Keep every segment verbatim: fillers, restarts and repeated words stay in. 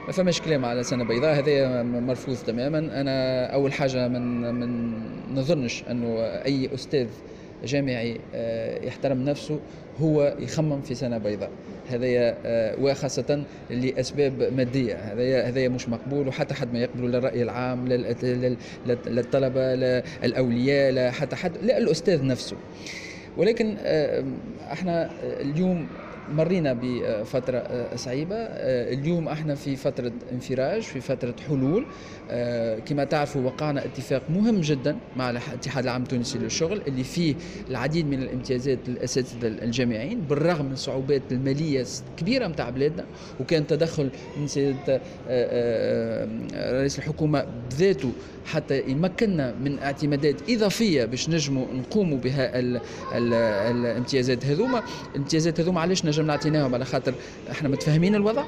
ما فماش كلام على سنة بيضاء، هذا مرفوض تماما. أنا أول حاجة من من نظنش أنه أي أستاذ جامعي يحترم نفسه هو يخمم في سنة بيضاء، هذايا وخاصة لأسباب مادية، هذايا هذايا مش مقبول، وحتى حد ما يقبله، لا الرأي العام، لا للطلبة، لا الأولياء، لا حتى حد، لا الأستاذ نفسه. ولكن احنا اليوم مرينا بفترة صعيبة، اليوم احنا في فترة انفراج، في فترة حلول. كما تعرفوا وقعنا اتفاق مهم جدا مع الاتحاد العام التونسي للشغل اللي فيه العديد من الامتيازات للأساتذة الجامعيين بالرغم من الصعوبات المالية الكبيرة متاع بلادنا، وكان تدخل من سيادة رئيس الحكومة بذاته حتى يمكننا من اعتمادات إضافية باش نجموا نقوموا بها ال ال الامتيازات هذوما. الامتيازات هذوما علاش نجم نعطيناهم؟ على خاطر احنا متفاهمين الوضع،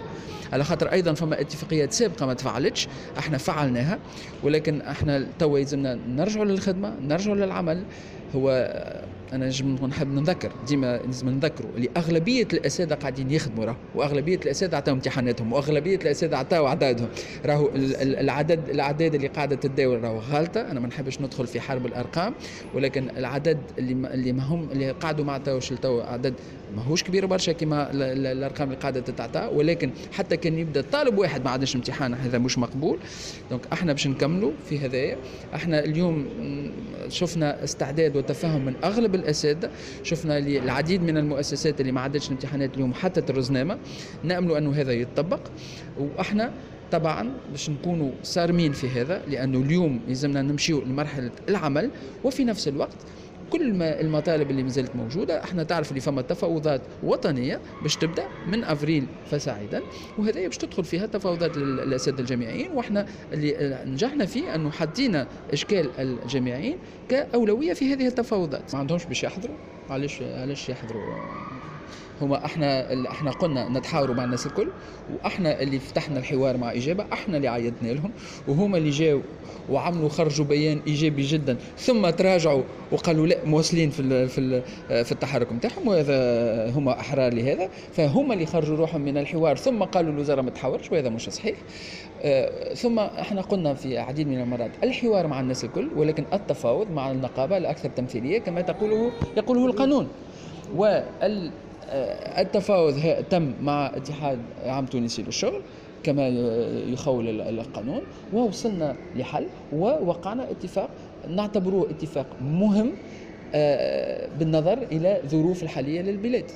على خاطر ايضا فما اتفاقيات سابقه ما تفعلتش احنا فعلناها، ولكن احنا توا يلزمنا نرجعوا للخدمة، نرجعوا للعمل. هو انا نجم نحب نذكر ديما، لازم نذكروا اللي اغلبية الاساتذة قاعدين يخدموا راهو، واغلبيه الاساتذة عطاو امتحاناتهم، واغلبيه الاساتذة عطاو اعدادهم، راهو العدد الاعداد اللي قاعدة تتداول راهو غالطه. انا ما نحبش ندخل في حرب الارقام، ولكن العدد اللي اللي ما هم اللي قعدوا ما عطاوش لتو عدد ماهوش كبير برشا كما الارقام اللي قاعدة تتعطى، ولكن حتى كان يبدا طالب واحد ما عندناش امتحان هذا مش مقبول. donc احنا باش نكملوا في هذايا. احنا اليوم شفنا استعداد وتفهم من اغلب الاساتذة، شفنا العديد من المؤسسات اللي ما عادتش الامتحانات اليوم حتى الرزنامه، ناملوا انه هذا يتطبق. واحنا طبعا باش نكونوا صارمين في هذا، لانه اليوم يلزمنا نمشيو لمرحلة العمل، وفي نفس الوقت كل ما المطالب اللي مازالت موجودة، احنا تعرف اللي فما تفاوضات وطنية باش تبدا من افريل فصاعدا، وهذا باش تدخل فيها تفاوضات للاساتذه الجامعيين، واحنا اللي نجحنا فيه انه حطينا اشكال الجامعيين كاولويه في هذه التفاوضات. ما عندهمش باش يحضروا، علاش علاش يحضروا؟ هما احنا احنا قلنا نتحاوروا مع الناس الكل، واحنا اللي فتحنا الحوار مع اجابه، احنا اللي عيطنا لهم، وهما اللي جاوا وعملوا خرجوا بيان ايجابي جدا، ثم تراجعوا وقالوا لا مواصلين في ال في ال في التحرك نتاعهم، وهذا هما احرار لهذا. فهما اللي خرجوا روحهم من الحوار ثم قالوا الوزارة ما تحاورش، وهذا مش صحيح. ثم احنا قلنا في عديد من المرات الحوار مع الناس الكل، ولكن التفاوض مع النقابة الاكثر تمثيلية كما تقوله يقوله القانون. وال التفاوض تم مع اتحاد عام تونسي للشغل كما يخول القانون، ووصلنا لحل ووقعنا اتفاق نعتبره اتفاق مهم بالنظر إلى ظروف الحالية للبلاد.